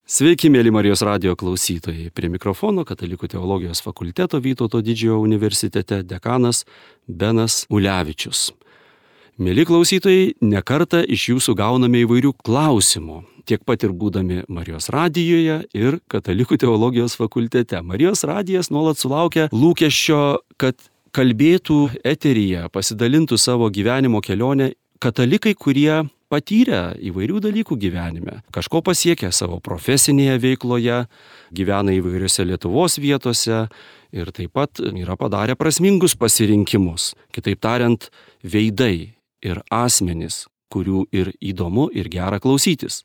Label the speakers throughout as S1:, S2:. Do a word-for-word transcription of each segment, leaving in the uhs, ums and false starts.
S1: Sveiki, mėly Marijos radijo klausytojai. Prie mikrofono Katalikų teologijos fakulteto Vytauto Didžiojo universitete dekanas Benas Ulevičius. Mėly klausytojai, nekartą iš jūsų gauname įvairių klausimų, tiek pat ir būdami Marijos radijoje ir Katalikų teologijos fakultete. Marijos radijas nuolat sulaukia lūkesčio, kad kalbėtų eteryje, pasidalintų savo gyvenimo kelionę katalikai, kurie patyrę įvairių dalykų gyvenime, kažko pasiekę savo profesinėje veikloje, gyvena įvairiose Lietuvos vietose ir taip pat yra padarę prasmingus pasirinkimus. Kitaip tariant, veidai ir asmenys, kurių ir įdomu ir gera klausytis.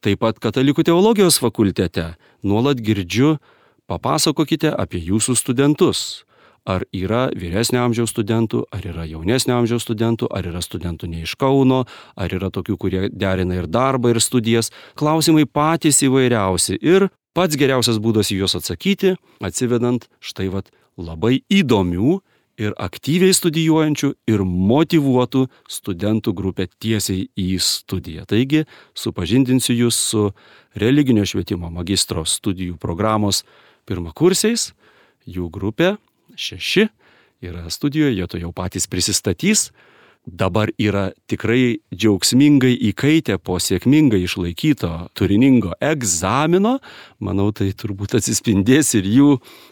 S1: Taip pat Katalikų teologijos fakultete nuolat girdžiu, papasakokite apie jūsų studentus. Ar yra vyresnio amžiaus studentų, ar yra jaunesnio amžiaus studentų, ar yra studentų ne iš Kauno, ar yra tokių, kurie derina ir darbą, ir studijas. Klausimai patys įvairiausi ir pats geriausias būdas į juos atsakyti, atsivedant štai vat labai įdomių ir aktyviai studijuojančių ir motyvuotų studentų grupę tiesiai į studiją. Taigi, supažindinsiu jūs su religinio švietimo magistro studijų programos pirmakursiais, jų grupė šeši yra studijoje, jie to jau patys prisistatys. Dabar yra tikrai džiaugsmingai įkaitę po sėkmingai išlaikyto turiningo egzamino. Manau, tai turbūt atsispindės ir jų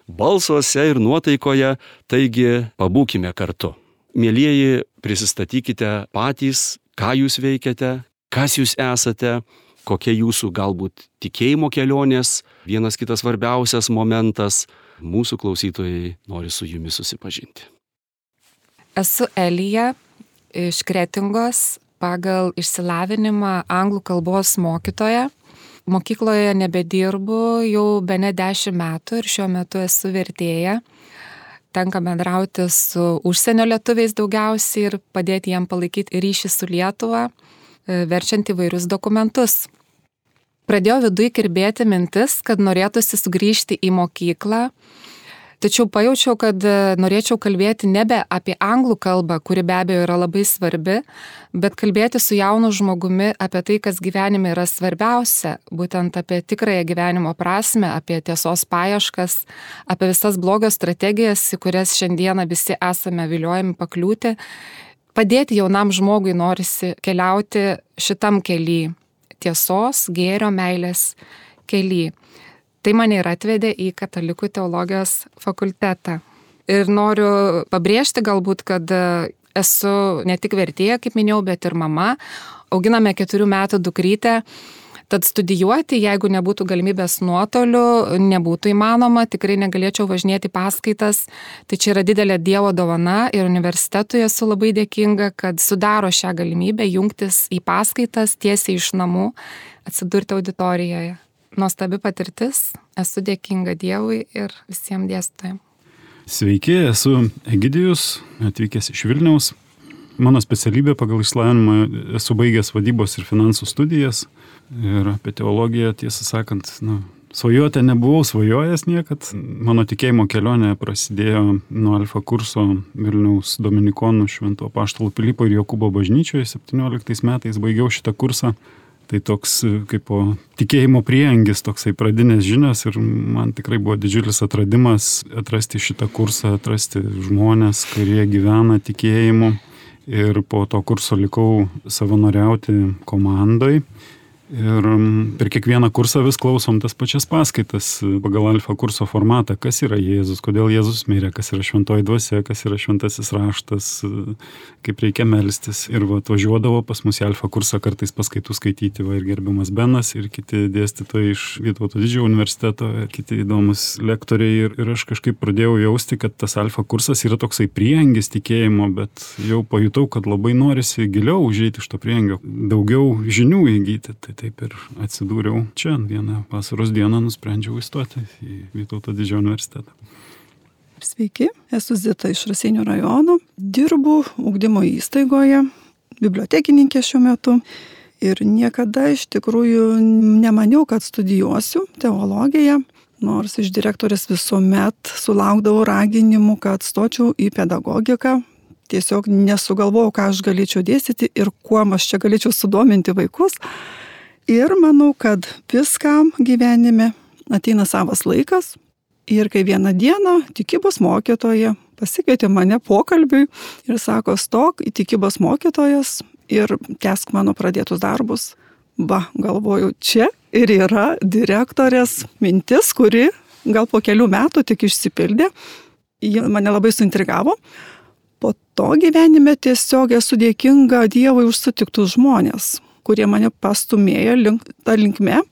S1: balsuose ir nuotaikoje. Taigi, pabūkime kartu. Mielieji, prisistatykite patys, ką jūs veikiate, kas jūs esate, kokie jūsų galbūt tikėjimo kelionės, vienas kitas svarbiausias momentas. Mūsų klausytojai nori su jumis susipažinti.
S2: Esu Elija iš Kretingos, pagal išsilavinimą anglų kalbos mokytoja. Mokykloje nebedirbu jau bene dešimt metų ir šiuo metu esu vertėja. Tenka bendrauti su užsienio lietuviais daugiausiai ir padėti jiem palaikyti ryšį su Lietuva, verčiant įvairius dokumentus. Pradėjo viduj kirbėti mintis, kad norėtųsi sugrįžti į mokyklą, tačiau pajaučiau, kad norėčiau kalbėti nebe apie anglų kalbą, kuri be abejo yra labai svarbi, bet kalbėti su jaunu žmogumi apie tai, kas gyvenime yra svarbiausia, būtent apie tikrąją gyvenimo prasmę, apie tiesos paieškas, apie visas blogio strategijas, į kurias šiandieną visi esame viliojami pakliūti. Padėti jaunam žmogui norisi keliauti šitam kely. Tiesos, gėrio, meilės kely. Tai mane ir atvedė į Katalikų teologijos fakultetą. Ir noriu pabrėžti galbūt, kad esu ne tik vertėja, kaip minėjau, bet ir mama. Auginame keturių metų dukrytę. Tad studijuoti, jeigu nebūtų galimybės nuotoliu, nebūtų įmanoma, tikrai negalėčiau važinėti paskaitas. Tai čia yra didelė Dievo dovana ir universitetui esu labai dėkinga, kad sudaro šią galimybę jungtis į paskaitas tiesiai iš namų, atsidurti auditorijoje. Nuostabi patirtis, esu dėkinga Dievui ir visiems dėstytojams.
S3: Sveiki, esu Egidijus, atvykęs iš Vilniaus. Mano specialybė pagal išsilavinimą esu baigęs vadybos ir finansų studijas. Ir apie teologiją, tiesą sakant, nu, svajoti nebuvau svajojęs niekad. Mano tikėjimo kelionė prasidėjo nuo alfa kurso Vilniaus dominikonų Švento Apaštalo Pilypo ir Jokūbo bažnyčioje. septynioliktais metais baigiau šitą kursą. Tai toks kaip po tikėjimo prieangis, toksai pradinės žinios ir man tikrai buvo didžiulis atradimas atrasti šitą kursą, atrasti žmonės, kurie gyvena tikėjimu. Ir po to kurso likau savanoriauti komandoj. Ir per kiekvieną kursą vis klausom tas pačias paskaitas pagal alfa kurso formatą, kas yra Jėzus, kodėl Jėzus mirė, kas yra šventoji dvasia, kas yra šventasis raštas, kaip reikia melstis. Ir va, atvažiuodavo pas mus į alfa kursą kartais paskaitų skaityti va, ir gerbiamas Benas, ir kiti dėstytojai iš Vytauto Didžiojo universiteto, ir kiti įdomus lektoriai. Ir, ir aš kažkaip pradėjau jausti, kad tas alfa kursas yra toksai prieangis tikėjimo, bet jau pajutau, kad labai norisi giliau užeiti iš to prieangio, daugiau žinių įgyti. Tai taip ir atsidūriau čia. Vieną vasaros dieną nusprendžiau įstoti į Vytauto Didžiojo universitetą.
S4: Sveiki, esu Zita iš Raseinių rajono. Dirbu ugdymo įstaigoje, bibliotekininkė šiuo metu. Ir niekada iš tikrųjų nemaniau, kad studijuosiu teologiją, nors iš direktorės visuomet sulaukdavau raginimų, kad stočiau į pedagogiką. Tiesiog nesugalvojau, ką aš galėčiau dėstyti ir kuo aš čia galėčiau sudominti vaikus. Ir manau, kad viskam gyvenime ateina savas laikas. Ir kai vieną dieną tikybos mokytoja pasikvietė mane pokalbiui ir sako, stok į tikybos mokytojas ir tęsk mano pradėtus darbus. Va, galvoju, čia ir yra direktorės mintis, kuri gal po kelių metų tik išsipildė. Ji mane labai suintrigavo. Po to gyvenime tiesiog esu dėkinga Dievui už sutiktus žmonės, kurie mane pastumėjo link, tą linkme.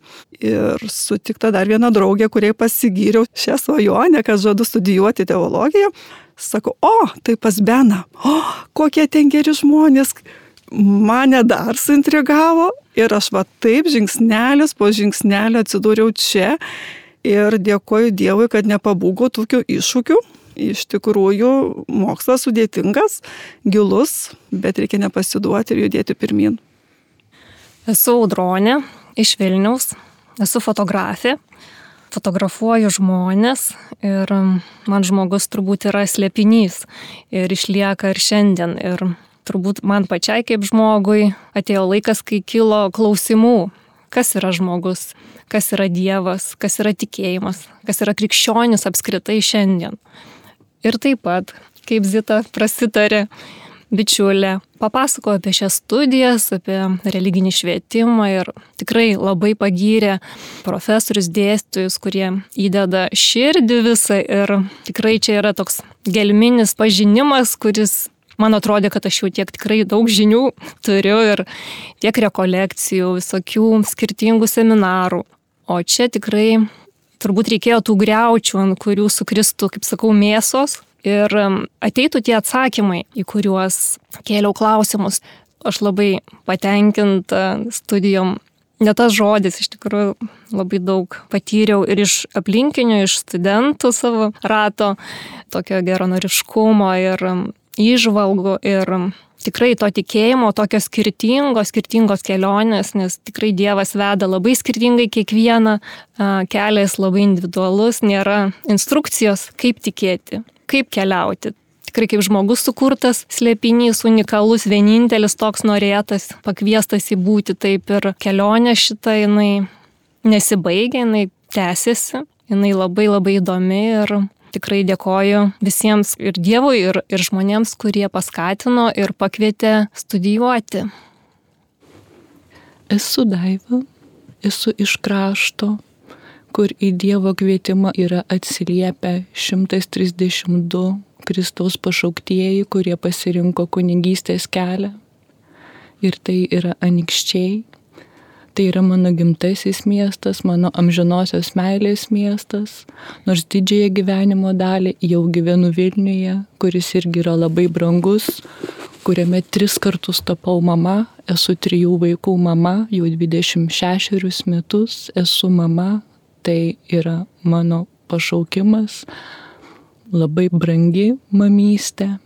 S4: Ir sutikta dar viena draugė, kuriai pasigyriau šią svajonę, kad žadu studijuoti teologiją. Sako, o, tai pas Beną, o, kokie ten geri žmonės. Mane dar suintrigavo ir aš va taip žingsnelis po žingsnelio atsidūriau čia ir dėkoju Dievui, kad nepabūgo tokių iššūkių. Iš tikrųjų, mokslas sudėtingas, gilus, bet reikia nepasiduoti ir judėti pirmin.
S5: Esu Audronė iš Vilniaus, esu fotografė, fotografuoju žmonės ir man žmogus turbūt yra slėpinys ir išlieka ir šiandien. Ir turbūt man pačiai kaip žmogui atėjo laikas, kai kilo klausimų, kas yra žmogus, kas yra Dievas, kas yra tikėjimas, kas yra krikščionis apskritai šiandien. Ir taip pat, kaip Zita prasitarė, bičiulė, papasakojo apie šias studijas, apie religinį švietimą ir tikrai labai pagyrė profesorius, dėstytojus, kurie įdeda širdį visą ir tikrai čia yra toks gelminis pažinimas, kuris man atrodė, kad aš jau tiek tikrai daug žinių turiu ir tiek rekolekcijų, visokių skirtingų seminarų. O čia tikrai turbūt reikėjo tų griaučių, ant kurių sukristų, kaip sakau, mėsos ir ateitų tie atsakymai, į kuriuos kėliau klausimus. Aš labai patenkinta studijom. Ne tas žodis, iš tikrųjų labai daug patyriau ir iš aplinkinių, iš studentų savo rato, tokio geranoriškumo ir įžvalgų ir tikrai to tikėjimo, tokios skirtingos, skirtingos kelionės, nes tikrai Dievas veda labai skirtingai kiekvieną, kelias labai individualus, nėra instrukcijos, kaip tikėti, kaip keliauti. Tikrai kaip žmogus sukurtas, slėpinys, unikalus, vienintelis toks norėtas, pakviestas į būti, taip ir kelionė šita, jinai nesibaigia, jinai tęsiasi, jinai labai labai įdomi ir tikrai dėkoju visiems ir Dievui, ir, ir žmonėms, kurie paskatino ir pakvietė studijuoti.
S6: Esu Daiva, esu iš krašto, kur į Dievo kvietimą yra atsiliepę šimtas trisdešimt du Kristaus pašauktieji, kurie pasirinko kunigystės kelią. Ir tai yra Anykščiai. Tai yra mano gimtasis miestas, mano amžinosios meilės miestas, nors didžiąją gyvenimo dalį jau gyvenu Vilniuje, kuris irgi yra labai brangus, kuriame tris kartus tapau mama, esu trijų vaikų mama, jau dvidešimt šešerius metus esu mama, tai yra mano pašaukimas, labai brangi mamystė.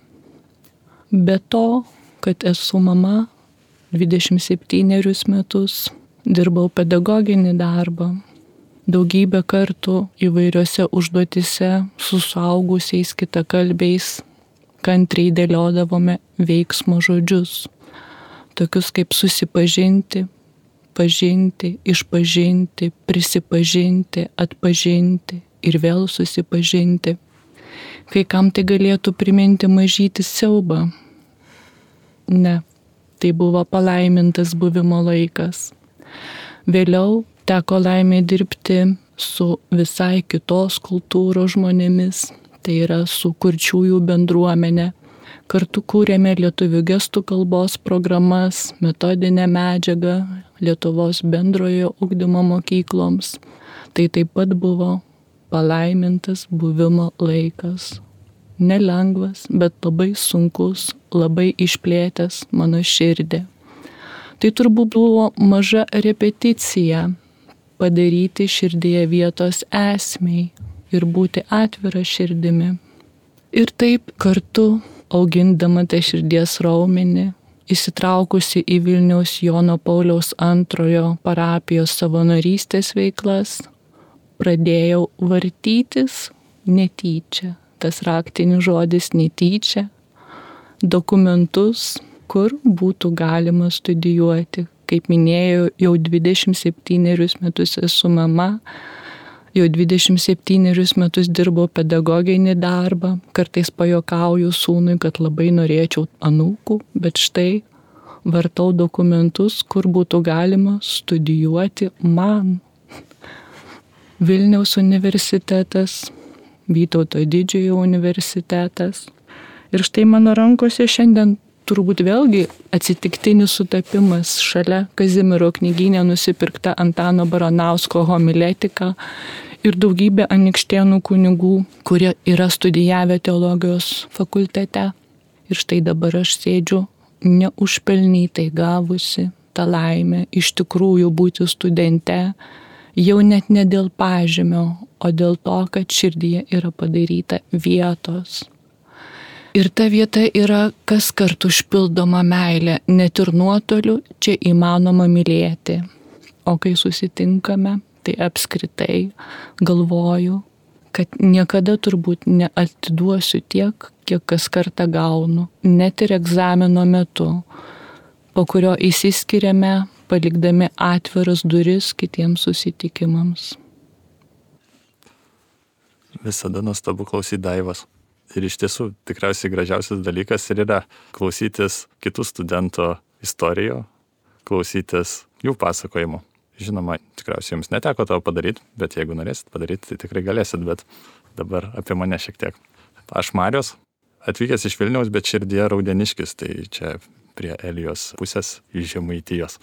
S6: Be to, kad esu mama, dvidešimt septynerius metus dirbau pedagoginį darbą, daugybę kartų įvairiose užduotise su suaugusiais kitakalbiais kantriai dėliodavome veiksmo žodžius, tokius kaip susipažinti, pažinti, išpažinti, prisipažinti, atpažinti ir vėl susipažinti. Kai kam tai galėtų priminti mažytį siaubą. Ne, tai buvo palaimintas buvimo laikas. Vėliau teko laimė dirbti su visai kitos kultūros žmonėmis, tai yra su kurčiųjų bendruomenė. Kartu kūrėme lietuvių gestų kalbos programas, metodinę medžiagą Lietuvos bendrojo ugdymo mokykloms. Tai taip pat buvo palaimintas buvimo laikas. Nelengvas, bet labai sunkus, labai išplėtęs mano širdį. Tai turbūt buvo maža repeticija padaryti širdyje vietos esmei ir būti atvira širdimi. Ir taip kartu, augindama tą širdies raumenį, įsitraukusi į Vilniaus Jono Pauliaus antrojo parapijos savanorystės veiklas, pradėjau vartytis netyčia, tas raktinis žodis netyčia, dokumentus, kur būtų galima studijuoti, kaip minėjau, jau dvidešimt septynerius metus esu mama, jau dvidešimt septynerius metus dirbau pedagoginį darbą, kartais pajokauju sūnui, kad labai norėčiau anūkų, bet štai vartau dokumentus, kur būtų galima studijuoti man. Vilniaus universitetas, Vytauto Didžiojo universitetas. Ir štai mano rankose šiandien turbūt vėlgi atsitiktinis sutapimas šalia Kazimiero knygyne nusipirkta Antano Baranausko homiletika ir daugybė anykštėnų kunigų, kurie yra studijavę teologijos fakultete. Ir štai dabar aš sėdžiu neužpelnytai gavusi tą laimę iš tikrųjų būti studente, jau net ne dėl pažymio, o dėl to, kad širdyje yra padaryta vietos. Ir ta vieta yra kas kart užpildoma meilė, net ir nuotoliu čia įmanoma mylėti. O kai susitinkame, tai apskritai galvoju, kad niekada turbūt neatiduosiu tiek, kiek kas kartą gaunu, net ir egzamino metu, po kurio įsiskiriame, palikdami atviras duris kitiems susitikimams.
S7: Visada nuostabu klausyti Daivos. Ir iš tiesų tikriausiai gražiausias dalykas ir yra klausytis kitų studentų istorijų, klausytis jų pasakojimų. Žinoma, tikriausiai jums neteko to padaryti, bet jeigu norėsit padaryti, tai tikrai galėsit, bet dabar apie mane šiek tiek. Aš Marius, atvykęs iš Vilniaus, bet širdyje Raudeniškis, tai čia prie Elijos pusės iš Žemaitijos.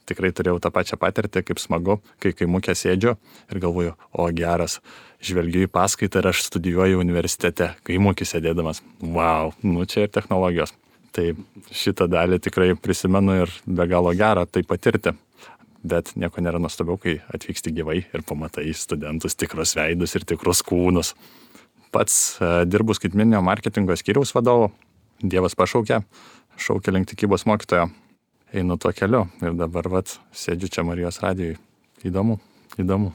S7: Tikrai turėjau tą pačią patirtį, kaip smagu, kai kaimukė sėdžiu ir galvoju, o geras, žvelgiu į paskaitą ir aš studijuoju universitete, kaimukį sėdėdamas. Vau, nu čia ir technologijos. Tai šitą dalį tikrai prisimenu ir be galo gera tai patirti. Bet nieko nėra nuostabiau, kai atvyksti gyvai ir pamatai studentus, tikrus veidus ir tikrus kūnus. Pats uh, dirbu skaitmeninio marketingo skyriaus vadovu. Dievas pašaukė, šaukė link tikybos mokytojo. Einu tuo keliu ir dabar vat sėdžiu čia Marijos radijui. Įdomu, įdomu.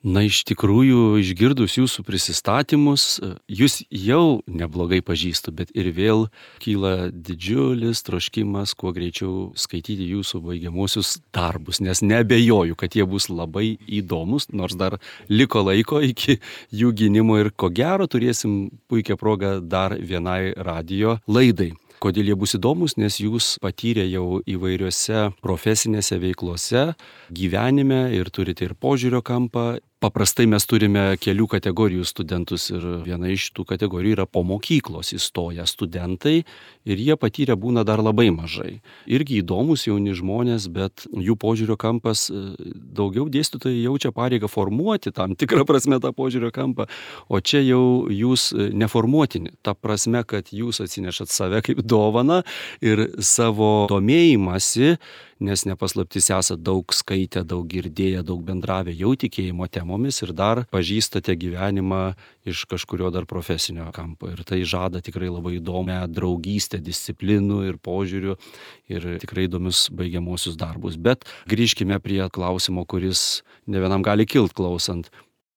S1: Na, iš tikrųjų, išgirdus jūsų prisistatymus, jūs jau neblogai pažįstu, bet ir vėl kyla didžiulis troškimas kuo greičiau skaityti jūsų baigiamuosius darbus, nes neabejoju, kad jie bus labai įdomus, nors dar liko laiko iki jų gynimo ir ko gero turėsim puikią progą dar vienai radijo laidai. Kodėl jie bus įdomus, nes jūs patyrė jau įvairiose profesinėse veiklose, gyvenime ir turite ir požiūrio kampą. Paprastai mes turime kelių kategorijų studentus ir viena iš tų kategorijų yra po mokyklos įstoję studentai ir jie patyrę būna dar labai mažai. Irgi įdomus jauni žmonės, bet jų požiūrio kampas daugiau dėstytojai jaučia pareigą formuoti tam tikrą prasme tą požiūrio kampą, o čia jau jūs neformuotini. Ta prasme, kad jūs atsinešat save kaip dovaną ir savo domėjimąsi, nes nepaslaptis esate daug skaitę, daug girdėję, daug bendravę jau tikėjimo temomis ir dar pažįstate gyvenimą iš kažkurio dar profesinio kampo. Ir tai žada tikrai labai įdomią draugystę, disciplinų ir požiūrių ir tikrai įdomius baigiamuosius darbus. Bet grįžkime prie klausimo, kuris ne vienam gali kilt klausant.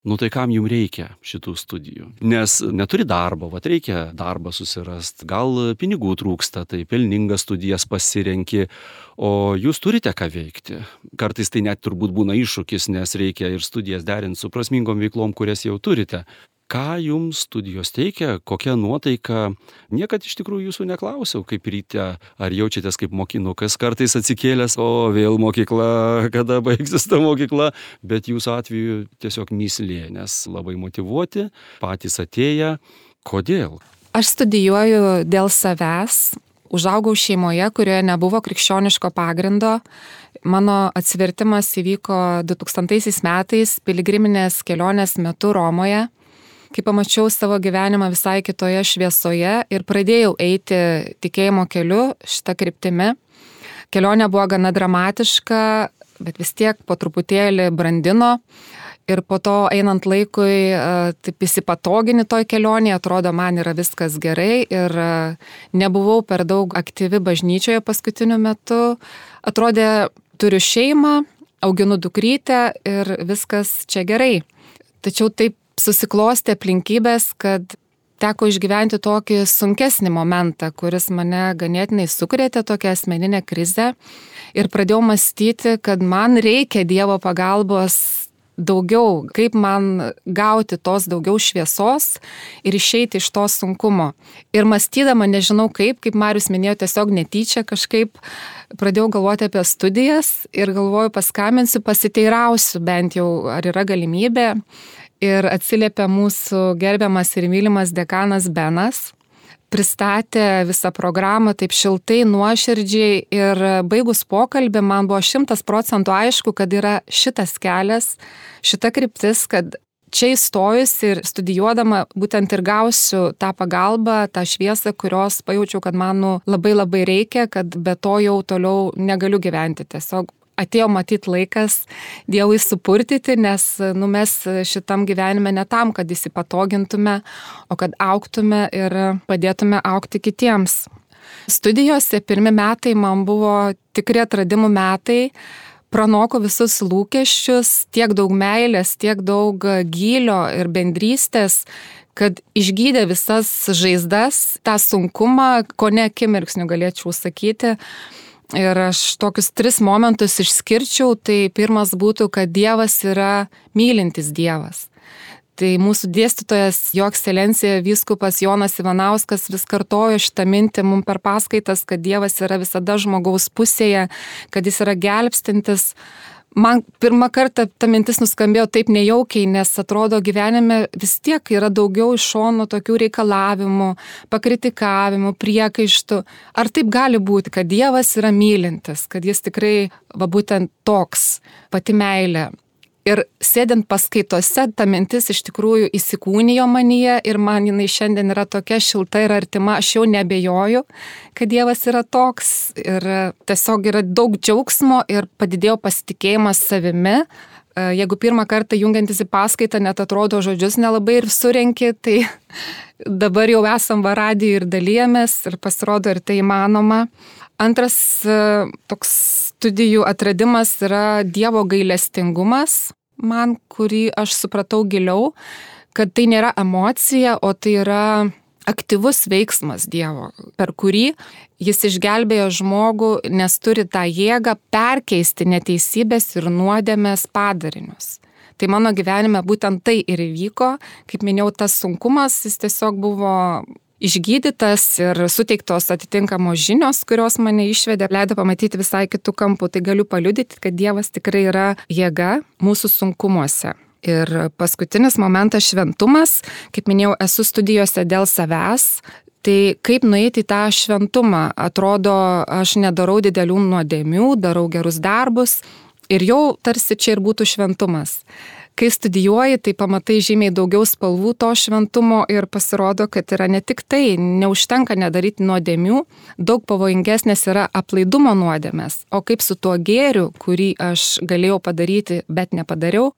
S1: Nu tai kam jums reikia šitų studijų? Nes neturi darbo, vat reikia darbą susirasti, gal pinigų trūksta, tai pelningas studijas pasirenki, o jūs turite ką veikti. Kartais tai net turbūt būna iššūkis, nes reikia ir studijas derinti su prasmingom veiklom, kurias jau turite. Ką jums studijos teikia, kokia nuotaika? Niekad iš tikrųjų jūsų neklausiau, kaip ryte, ar jaučiatės kaip mokinukas, kartais atsikėlęs, o vėl mokykla, kada baigsis ta mokykla, bet jūsų atveju tiesiog mįslė, nes labai motyvuoti, patys atėję. Kodėl?
S2: Aš studijuoju dėl savęs. Užaugau šeimoje, kurioje nebuvo krikščioniško pagrindo. Mano atsivertimas įvyko du tūkstantaisiais metais piligriminės kelionės metu Romoje, kai pamačiau savo gyvenimą visai kitoje šviesoje ir pradėjau eiti tikėjimo keliu šitą kryptimi. Kelionė buvo gana dramatiška, bet vis tiek po truputėlį brandino. Ir po to einant laikui, taip įsipatogini toj kelionėje, atrodo, man yra viskas gerai ir nebuvau per daug aktyvi bažnyčioje paskutiniu metu. Atrodė, turiu šeimą, auginu dukrytę ir viskas čia gerai. Tačiau taip susiklostė aplinkybės, kad teko išgyventi tokį sunkesnį momentą, kuris mane ganėtinai sukrėtė, tokią asmeninę krizę. Ir pradėjau mąstyti, kad man reikia Dievo pagalbos daugiau, kaip man gauti tos daugiau šviesos ir išeiti iš to sunkumo. Ir mąstydama, nežinau kaip, kaip Marius minėjo, tiesiog netyčia kažkaip pradėjau galvoti apie studijas ir galvoju, paskambinsiu, pasiteirausiu bent jau, ar yra galimybė. Ir atsiliepė mūsų gerbiamas ir mylimas dekanas Benas. Pristatė visą programą taip šiltai, nuoširdžiai ir baigus pokalbį man buvo šimtas procentų aišku, kad yra šitas kelias, šita kryptis, kad čia įstojus ir studijuodama būtent ir gausiu tą pagalbą, tą šviesą, kurios pajaučiau, kad man nu, labai labai reikia, kad be to jau toliau negaliu gyventi. Tiesiog atėjo matyti laikas Dievui supurtyti, nes nu, mes šitam gyvenime ne tam, kad įsipatogintume, o kad augtume ir padėtume augti kitiems. Studijose pirmi metai man buvo tikri atradimų metai, pranoko visus lūkesčius, tiek daug meilės, tiek daug gylio ir bendrystės, kad išgydė visas žaizdas, tą sunkumą, ko ne akimirksniu galėčiau sakyti. Ir aš tokius tris momentus išskirčiau, tai pirmas būtų, kad Dievas yra mylintis Dievas. Tai mūsų dėstytojas, jo ekscelencija vyskupas Jonas Ivanauskas vis kartojo šitą mintį mums per paskaitas, kad Dievas yra visada žmogaus pusėje, kad jis yra gelbstintis. Man pirmą kartą ta mintis nuskambėjo taip nejaukiai, nes atrodo gyvenime vis tiek yra daugiau iš šono tokių reikalavimų, pakritikavimų, priekaištų. Ar taip gali būti, kad Dievas yra mylintis, kad jis tikrai va būtent toks, pati meilė. Ir sėdint paskaitose, ta mintis iš tikrųjų įsikūnijo manyje ir man jinai šiandien yra tokia šilta ir artima, aš jau nebejoju, kad Dievas yra toks ir tiesiog yra daug džiaugsmo ir padidėjo pasitikėjimas savimi. Jeigu pirmą kartą jungiantis į paskaitą net atrodo žodžius nelabai ir surenki, tai dabar jau esam va radijuj ir dalyjamės ir pasirodo ir tai įmanoma. Antras toks studijų atradimas yra Dievo gailestingumas, man, kurį aš supratau giliau, kad tai nėra emocija, o tai yra aktyvus veiksmas Dievo, per kurį jis išgelbėjo žmogų, nes turi tą jėgą perkeisti neteisybės ir nuodėmės padarinius. Tai mano gyvenime būtent tai ir įvyko, kaip minėjau, tas sunkumas, jis tiesiog buvo išgydytas ir suteiktos atitinkamos žinios, kurios mane išvedė, leido pamatyti visai kitų kampų. Tai galiu paliudyti, kad Dievas tikrai yra jėga mūsų sunkumuose. Ir paskutinis momentas šventumas, kaip minėjau, esu studijose dėl savęs. Tai kaip nueiti į tą šventumą? Atrodo, aš nedarau didelių nuodėmių, darau gerus darbus ir jau tarsi čia ir būtų šventumas. Kai studijuoji, tai pamatai žymiai daugiau spalvų to šventumo ir pasirodo, kad yra ne tik tai, neužtenka nedaryti nuodėmių, daug pavojingesnės yra aplaidumo nuodėmės, o kaip su tuo gėriu, kurį aš galėjau padaryti, bet nepadariau,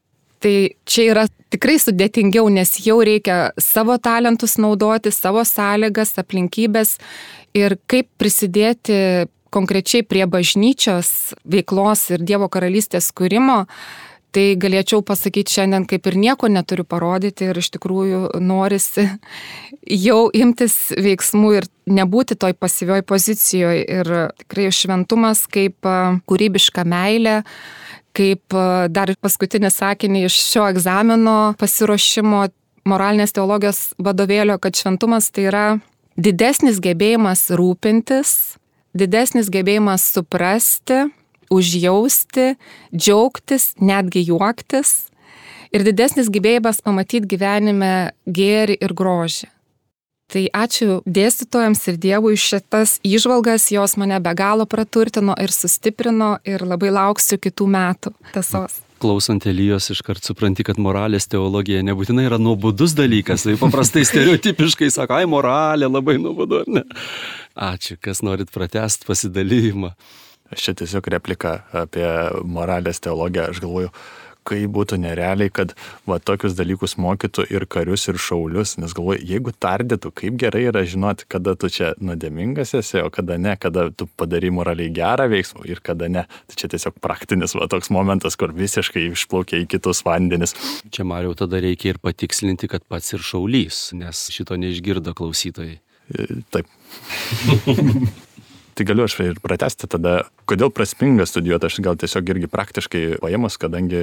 S2: tai čia yra tikrai sudėtingiau, nes jau reikia savo talentus naudoti, savo sąlygas, aplinkybės ir kaip prisidėti konkrečiai prie bažnyčios veiklos ir Dievo karalystės kūrimo. Tai galėčiau pasakyti šiandien, kaip ir nieko neturiu parodyti ir iš tikrųjų norisi jau imtis veiksmų ir nebūti toj pasyvioj pozicijoje. Ir tikrai šventumas kaip kūrybiška meilė, kaip dar paskutinį sakinį iš šio egzamino pasiruošimo moralinės teologijos vadovėlio, kad šventumas tai yra didesnis gebėjimas rūpintis, didesnis gebėjimas suprasti, užjausti, džiaugtis, netgi juoktis ir didesnis gebėjimas pamatyti gyvenime gėrį ir grožį. Tai ačiū dėstytojams ir Dievui šitas įžvalgas, jos mane be galo praturtino ir sustiprino ir labai lauksiu kitų metų tiesos.
S1: Klausant Elijos iškart supranti, kad moralės teologija nebūtinai yra nuobodus dalykas, tai paprastai stereotipiškai sako, ai moralė labai nuobodu, ar ne? Ačiū, kas norit pratęsti pasidalymą.
S7: Aš čia tiesiog replika apie moralės teologiją, aš galvoju, kaip būtų nerealiai, kad va tokius dalykus mokytų ir karius, ir šaulius, nes galvoju, jeigu tardytų, kaip gerai yra žinoti, kada tu čia nuodėmingas esi, o kada ne, kada tu padarai moraliai gerą veiksmą ir kada ne. Tai čia tiesiog praktinis va toks momentas, kur visiškai išplaukia į kitus vandenis.
S1: Čia, Mariau, tada reikia ir patikslinti, kad pats ir šaulys, nes šito neišgirdo klausytojai.
S7: Taip. Tai galiu aš ir pratesti tada, kodėl prasminga studijuoti, aš gal tiesiog irgi praktiškai paėmus, kadangi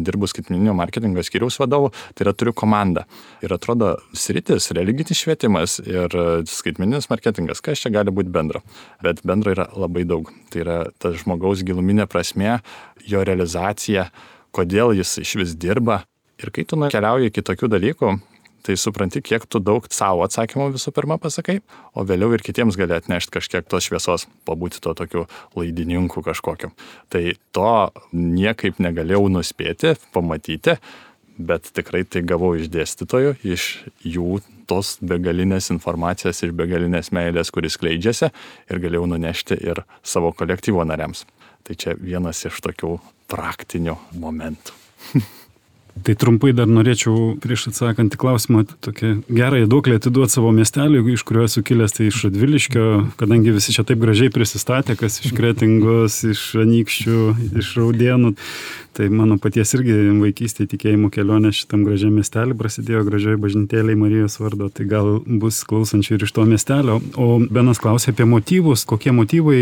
S7: dirbu skaitmeninio marketingo skyriaus vadovu, tai yra turiu komandą. Ir atrodo, sritis, religinis švietimas ir skaitmeninis marketingas, kas čia gali būti bendro. Bet bendro yra labai daug. Tai yra ta žmogaus giluminė prasmė, jo realizacija, kodėl jis iš vis dirba. Ir kai tu nukeliauji iki tokių dalykų, tai supranti, kiek tu daug savo atsakymų visų pirma pasakai, o vėliau ir kitiems gali atnešti kažkiek tos šviesos, pabūti to tokiu laidininku kažkokiu. Tai to niekaip negalėjau nuspėti, pamatyti, bet tikrai tai gavau iš dėstytojų, iš jų tos begalinės informacijos, iš begalinės meilės, kuris skleidžiasi, ir galėjau nunešti ir savo kolektyvo nariams. Tai čia vienas iš tokių praktinių momentų.
S3: Tai trumpai dar norėčiau prieš atsakant į klausimą tokią gerąją duoklę atiduoti savo miestelį, iš kurio esu kilęs, tai iš Radviliškio, kadangi visi čia taip gražiai prisistatė, kas iš Kretingos, iš Anykščių, iš Raudėnų. Tai mano paties irgi vaikystėje tikėjimo kelionė šitam gražiam miestelį prasidėjo gražioj bažnytėlėj Marijos vardo, tai gal bus klausančių ir iš to miestelio. O Benas klausė apie motyvus, kokie motyvai.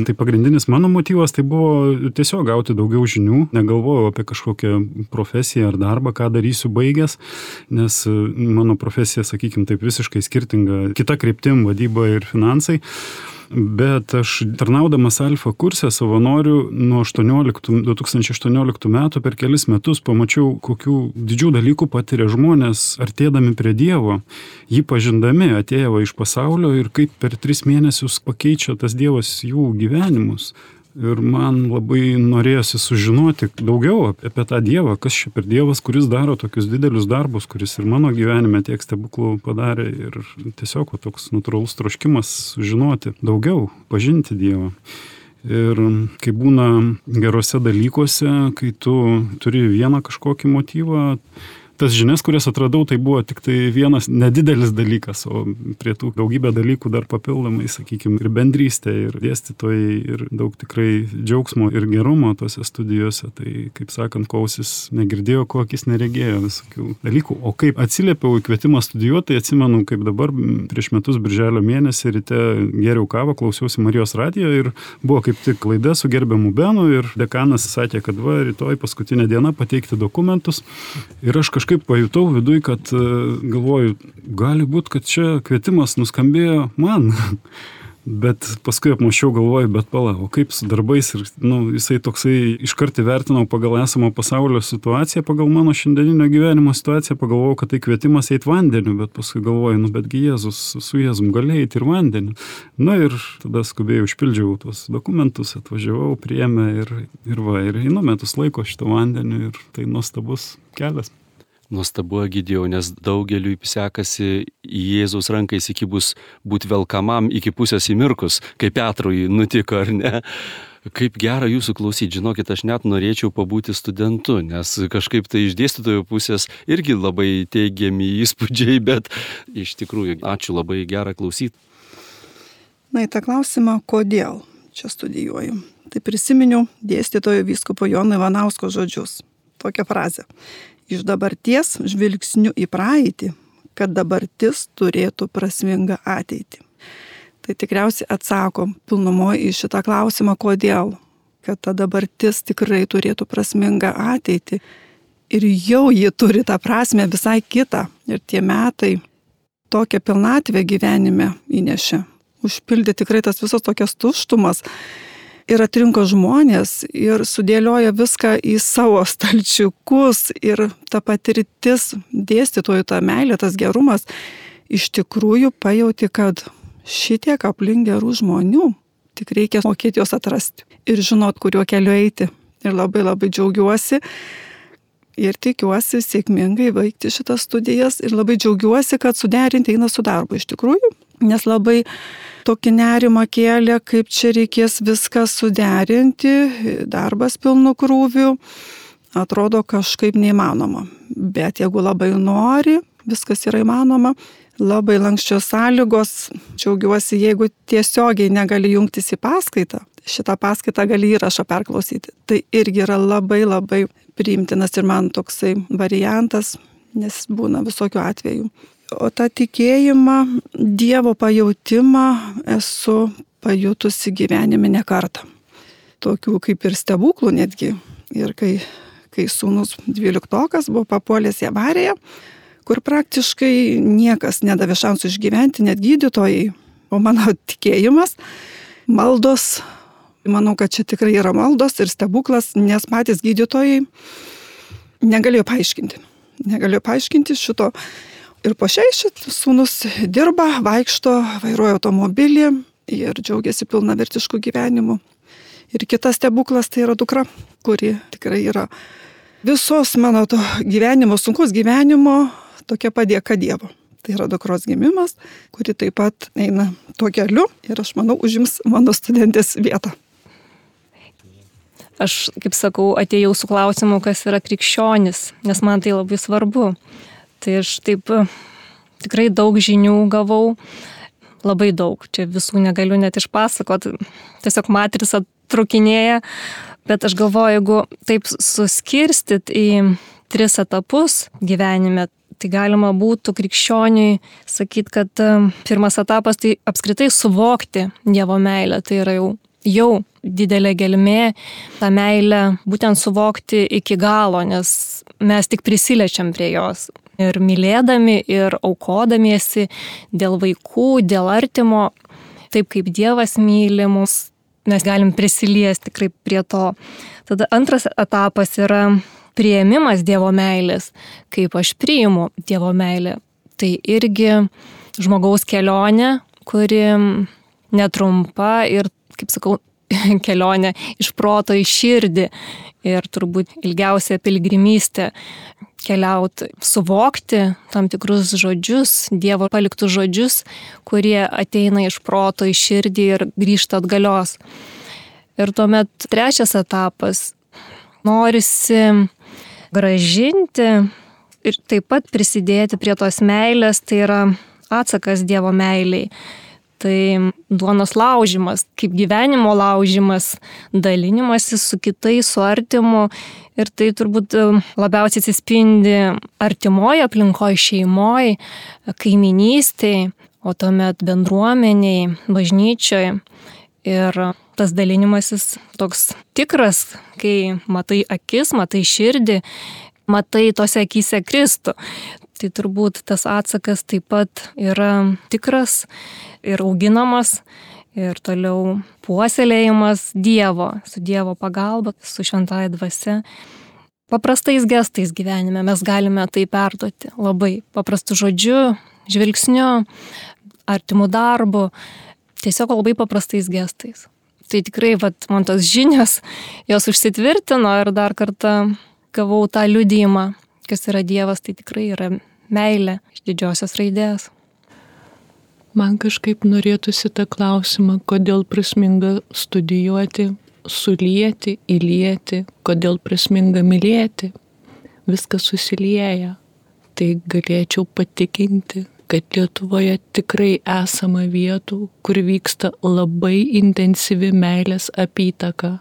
S3: Tai pagrindinis mano motyvas tai buvo tiesiog gauti daugiau žinių, negalvojau apie kažkokią profesiją ar darbą, ką darysiu baigęs, nes mano profesija, sakykime, taip visiškai skirtinga, kita kryptim, vadyba ir finansai. Bet aš tarnaudamas alfa kurse savanorių nuo du tūkstančiai aštuonioliktų metų per kelis metus pamačiau, kokių didžių dalykų patiria žmonės artėdami prie Dievo, jį pažindami, atėję iš pasaulio ir kaip per tris mėnesius pakeičia tas Dievas jų gyvenimus. Ir man labai norėjosi sužinoti daugiau apie tą Dievą, kas čia per Dievas, kuris daro tokius didelius darbus, kuris ir mano gyvenime tiek stebuklų padarė, ir tiesiog toks natūralus troškimas sužinoti daugiau, pažinti Dievą. Ir kai būna gerose dalykuose, kai tu turi vieną kažkokį motyvą, tas žinias, kurias atradau, tai buvo tik tai vienas nedidelis dalykas, o prie tų daugybę dalykų dar papildomai, sakykime, ir bendrystė, ir dėstytojai, ir daug tikrai džiaugsmo ir gerumo tose studijose. Tai, kaip sakant, ko ausis negirdėjo, ko akis neregėjo, visokių dalykų. O kaip atsiliepiau į kvietimą studijuoti, tai atsimenu, kaip dabar prieš metus birželio mėnesį ryte geriau kavą, klausiausi Marijos radijo ir buvo kaip tik laida su gerbiamu Benu ir dekanas sakė, kad va, rytoj paskutinė diena pateikti dokumentus. Ir aš kažkaip Kažkaip pajutau viduj, kad galvoju, gali būti, kad čia kvietimas nuskambėjo man. Bet paskui apmašiau, galvoju, bet pala, o kaip su darbais, ir nu, jisai toksai iškart įvertinau pagal esamą pasaulio situaciją, pagal mano šiandieninio gyvenimo situaciją, pagalvojau, kad tai kvietimas eit vandeniu, bet paskui galvoju, nu betgi Jėzus, su Jėzum gali eiti ir vandeniu. Na ir tada skubėjau, užpildžiau tuos dokumentus, atvažiavau, priėmė ir, ir va, ir einu metus laiko šito vandeniu ir tai nuostabus kelias.
S1: Nuostabu, Egidijau, nes daugeliui sekasi į Jėzaus ranką įsikibus būti velkamam iki pusės įmirkus, kaip Petrui nutiko, ar ne? Kaip gera jūsų klausyti, žinokit, aš net norėčiau pabūti studentu, nes kažkaip tai iš dėstytojų pusės irgi labai teigiami įspūdžiai, bet iš tikrųjų, ačiū, labai gera klausyti.
S4: Na, į tą klausimą, kodėl čia studijuoju. Tai prisiminiau dėstytojo vyskupo Jono Ivanausko žodžius. Tokią frazę. Iš dabarties žvilgsniu į praeitį, kad dabartis turėtų prasmingą ateitį. Tai tikriausiai atsako pilnumoje į šitą klausimą, kodėl, kad ta dabartis tikrai turėtų prasmingą ateitį. Ir jau ji turi tą prasmę visai kitą. Ir tie metai tokią pilnatvę gyvenime įnešė. Užpildė tikrai tas visas tokias tuštumas. Ir atrinko žmonės ir sudėlioja viską į savo stalčiukus ir ta patirtis, dėstytojų ta meilė, tas gerumas, iš tikrųjų pajauti, kad šitiek aplink gerų žmonių, tik reikia mokėti juos atrasti ir žinot, kuriuo keliu eiti. Ir labai labai džiaugiuosi ir tikiuosi sėkmingai baigti šitas studijas ir labai džiaugiuosi, kad suderinti eina su darbu iš tikrųjų, nes labai tokį nerimą kėlė, kaip čia reikės viską suderinti, darbas pilnu krūviu atrodo kažkaip neįmanoma. Bet jeigu labai nori, viskas yra įmanoma. Labai lankščios sąlygos. Džiaugiuosi, jeigu tiesiogiai negali jungtis į paskaitą, šitą paskaitą gali įrašą perklausyti. Tai irgi yra labai labai priimtinas ir man toksai variantas, nes būna visokių atvejų. O tą tikėjimą, Dievo pajautimą esu pajutusi gyvenime ne kartą. Tokių kaip ir stebuklų netgi. Ir kai, kai sūnus dvyliktokas buvo papuolęs į avariją, kur praktiškai niekas nedavė šansų išgyventi, net gydytojai. O mano tikėjimas, maldos, manau, kad čia tikrai yra maldos ir stebuklas, nes patys gydytojai negalėjo paaiškinti. Negalėjo paaiškinti šito. Ir po šiai šit sūnus dirba, vaikšto, vairuoja automobilį ir džiaugiasi pilnavertišku gyvenimu. Ir kitas stebuklas tai yra dukra, kuri tikrai yra visos mano to gyvenimo, sunkus gyvenimo, tokia padėka Dievo. Tai yra dukros gimimas, kuri taip pat eina tuo keliu ir aš manau užims mano studentės vietą.
S5: Aš, kaip sakau, atėjau su klausimu, kas yra krikščionis, nes man tai labai svarbu. Tai aš taip tikrai daug žinių gavau, labai daug, čia visų negaliu net išpasakoti, tiesiog matrica trukinėja, bet aš galvoju, jeigu taip suskirstyt į tris etapus gyvenime, tai galima būtų krikščioniui sakyti, kad pirmas etapas tai apskritai suvokti Dievo meilę, tai yra jau, jau didelė gelmė, tą meilę būtent suvokti iki galo, nes mes tik prisiliečiam prie jos. Ir mylėdami, ir aukodamiesi dėl vaikų, dėl artimo, taip kaip Dievas myli mus, mes galim prisiliesti tikrai prie to. Tada antras etapas yra priėmimas Dievo meilės, kaip aš priimu Dievo meilę. Tai irgi žmogaus kelionė, kuri netrumpa ir, kaip sakau, kelionė iš proto į širdį ir turbūt ilgiausia pilgrimystė keliauti, suvokti tam tikrus žodžius, Dievo paliktus žodžius, kurie ateina iš proto į širdį ir grįžta atgalios. Ir tuomet trečias etapas norisi gražinti ir taip pat prisidėti prie tos meilės, tai yra atsakas Dievo meiliai. Tai duonos laužimas, kaip gyvenimo laužimas, dalinimasis su kitais, su artimu. Ir tai turbūt labiausiai atsispindi artimoje aplinkoje, šeimoje, kaiminystėje, o tuomet bendruomeniai, bažnyčioje. Ir tas dalinimasis toks tikras, kai matai akis, matai širdį, matai tose akyse Kristų. Tai turbūt tas atsakas taip pat yra tikras ir auginamas ir toliau puoselėjimas Dievo, su Dievo pagalba, su šventąja dvasia. Paprastais gestais gyvenime mes galime tai perduoti labai paprastu žodžiu, žvilgsniu, artimu darbu, tiesiog labai paprastais gestais. Tai tikrai, vat, man tos žinios, jos užsitvirtino ir dar kartą gavau tą liudijimą, kas yra Dievas, tai tikrai yra meilė iš didžiosios raidės.
S6: Man kažkaip norėtųsi tą klausimą, kodėl prasminga studijuoti, sulieti, įlieti, kodėl prasminga mylėti. Viskas susilieja. Tai galėčiau patikinti, kad Lietuvoje tikrai esama vietų, kur vyksta labai intensyvi meilės apytaka,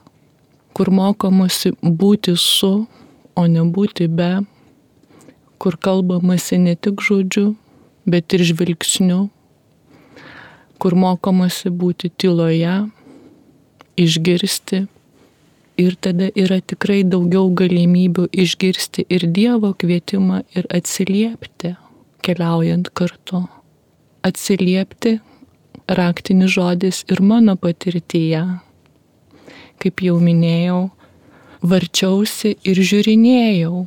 S6: kur mokomasi būti su, o ne būti be, kur kalbamasi ne tik žodžiu, bet ir žvilgsniu, kur mokomasi būti tyloje, išgirsti. Ir tada yra tikrai daugiau galimybių išgirsti ir Dievo kvietimą ir atsiliepti, keliaujant kartu. Atsiliepti raktinis žodis ir mano patirtyje. Kaip jau minėjau, varčiausi ir žiūrinėjau.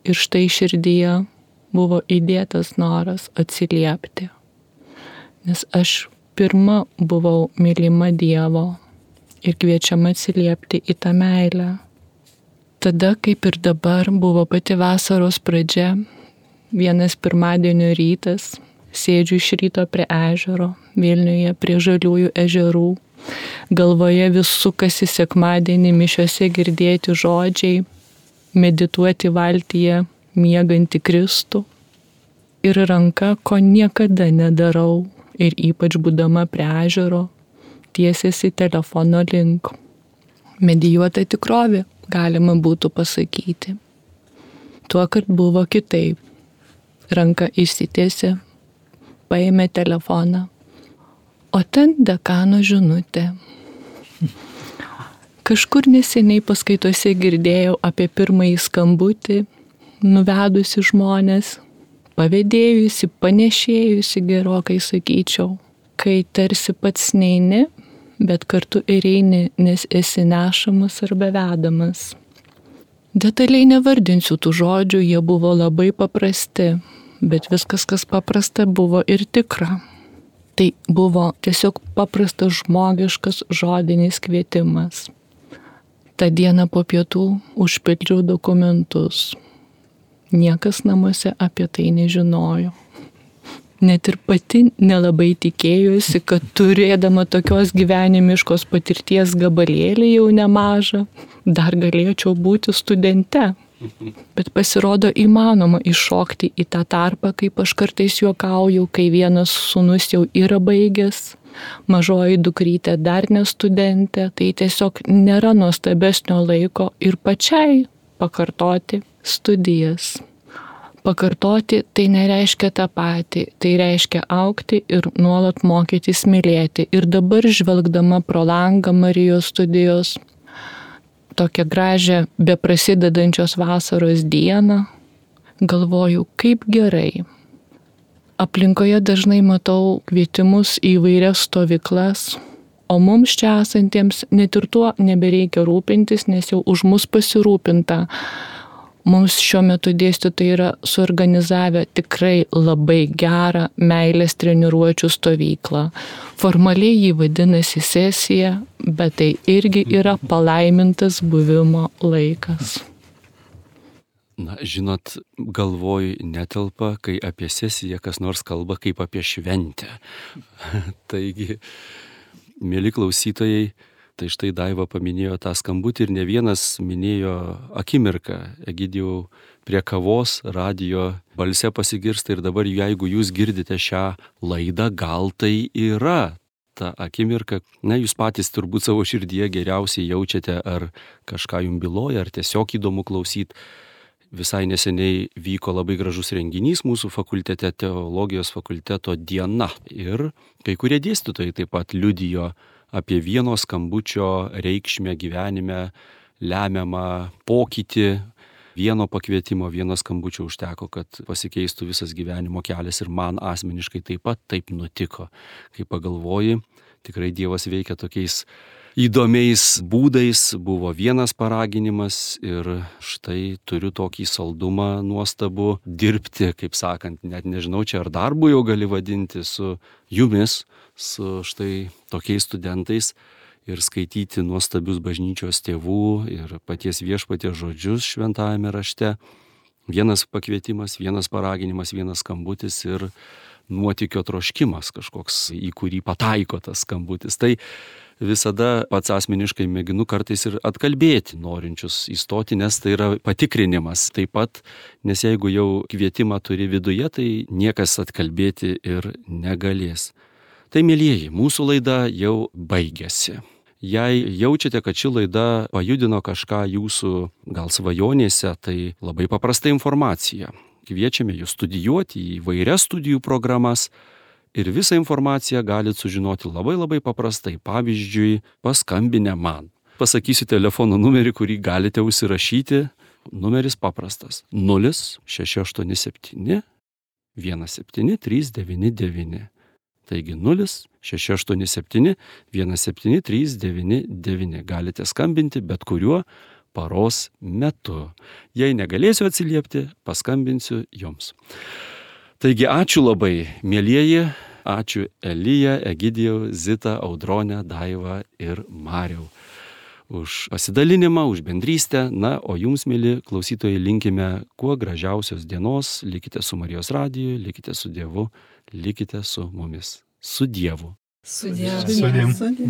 S6: Ir štai širdyje buvo įdėtas noras atsiliepti. Nes aš pirma buvau mylima Dievo ir kviečiama atsiliepti į tą meilę. Tada, kaip ir dabar, buvo pati vasaros pradžia, vienas pirmadienio rytas, sėdžiu iš ryto prie ežero, Vilniuje prie Žaliųjų ežerų, galvoje vis sukasi sekmadienį mišiose girdėti žodžiai, medituoti valtyje miegantį Kristų. Ir ranka, ko niekada nedarau, ir ypač būdama prie ežero, tiesiasi telefono link. Medijuota tikrovė, galima būtų pasakyti. Tuo, kad buvo kitaip. Ranka išsitiesė, paėmė telefoną, o ten dekano žinutė. Kažkur neseniai paskaitose girdėjau apie pirmąjį skambutį, nuvedusi žmonės, pavėdėjusi, panešėjusi gerokai sakyčiau, kai tarsi pats neini, bet kartu ir eini, nes esi nešamas arba vedamas. Detaliai nevardinsiu tų žodžių, jie buvo labai paprasti, bet viskas, kas paprasta, buvo ir tikra. Tai buvo tiesiog paprastas žmogiškas žodinis kvietimas. Ta diena po pietų užpildžiau dokumentus. Niekas namuose apie tai nežinojo. Net ir pati nelabai tikėjusi, kad turėdama tokios gyvenimiškos patirties gabalėlį jau nemažą, dar galėčiau būti studente. Bet pasirodo įmanoma iššokti į tą tarpą, kaip aš kartais juokauju, kai vienas sūnus jau yra baigęs, mažoji dukrytė dar ne studentė, tai tiesiog nėra nuostabesnio laiko ir pačiai pakartoti studijas. Pakartoti tai nereiškia tą patį, tai reiškia augti ir nuolat mokytis mylėti. Ir dabar žvelgdama pro langą Marijos studijos, tokią gražią beprasidedančios vasaros dieną, galvoju, kaip gerai. Aplinkoje dažnai matau kvietimus į įvairias stovyklas, o mums čia esantiems net ir tuo nebereikia rūpintis, nes jau už mus pasirūpinta. Mums šiuo metu dėstytojai yra suorganizavę tikrai labai gerą meilės treniruočių stovyklą. Formaliai jį vadinasi sesija, bet tai irgi yra palaimintas buvimo laikas.
S1: Na, žinot, galvoj netelpa, kai apie sesiją kas nors kalba kaip apie šventę. Taigi, mėly klausytojai, tai štai Daiva paminėjo tą skambutį ir ne vienas minėjo akimirką. Egidijau, prie kavos radijo balse pasigirsta ir dabar jeigu jūs girdite šią laidą, gal tai yra ta akimirka. Na, jūs patys turbūt savo širdyje geriausiai jaučiate, ar kažką jums byloja, ar tiesiog įdomu klausyti. Visai neseniai vyko labai gražus renginys mūsų fakultete, teologijos fakulteto diena. Ir kai kurie dėstytojai taip pat liudijo apie vieno skambučio reikšmę gyvenime, lemiamą pokytį. Vieno pakvietimo, vieno skambučio užteko, kad pasikeistų visas gyvenimo kelias ir man asmeniškai taip pat taip nutiko. Kai pagalvoji, tikrai Dievas veikia tokiais įdomiais būdais. Buvo vienas paraginimas ir štai turiu tokį saldumą nuostabų dirbti, kaip sakant, net nežinau, čia ar darbu jau gali vadinti su jumis, su štai tokiais studentais ir skaityti nuostabius bažnyčios tėvų ir paties viešpaties žodžius šventajame rašte. Vienas pakvietimas, vienas paraginimas, vienas skambutis ir nuotykio troškimas kažkoks, į kurį pataiko tas skambutis. Tai visada pats asmeniškai mėginu kartais ir atkalbėti norinčius įstoti, nes tai yra patikrinimas taip pat, nes jeigu jau kvietimą turi viduje, tai niekas atkalbėti ir negalės. Tai, mielieji, mūsų laida jau baigėsi. Jei jaučiate, kad ši laida pajudino kažką jūsų gal svajonėse, tai labai paprasta informacija. Kviečiame jūs studijuoti į įvairias studijų programas ir visą informaciją galite sužinoti labai labai paprastai. Pavyzdžiui, paskambinę man. Pasakysiu telefono numerį, kurį galite užsirašyti. Numeris paprastas. nulis šeši aštuoni septyni vienas septyni trys devyni devyni. Taigi nulis šeši aštuoni septyni vienas septyni trys devyni devyni. Galite skambinti bet kuriuo paros metu. Jei negalėsiu atsiliepti, paskambinsiu jums. Taigi ačiū labai, mielieji, ačiū Elija, Egidijau, Zita, Audronė, Daiva ir Mariau už pasidalinimą, už bendrystę. Na, o jums, mieli klausytojai, linkime kuo gražiausios dienos, likite su Marijos radiju, likite su Dievu, likite su mumis. Su Dievu.
S2: Su Dievu.
S3: Sudie.
S4: Sudie.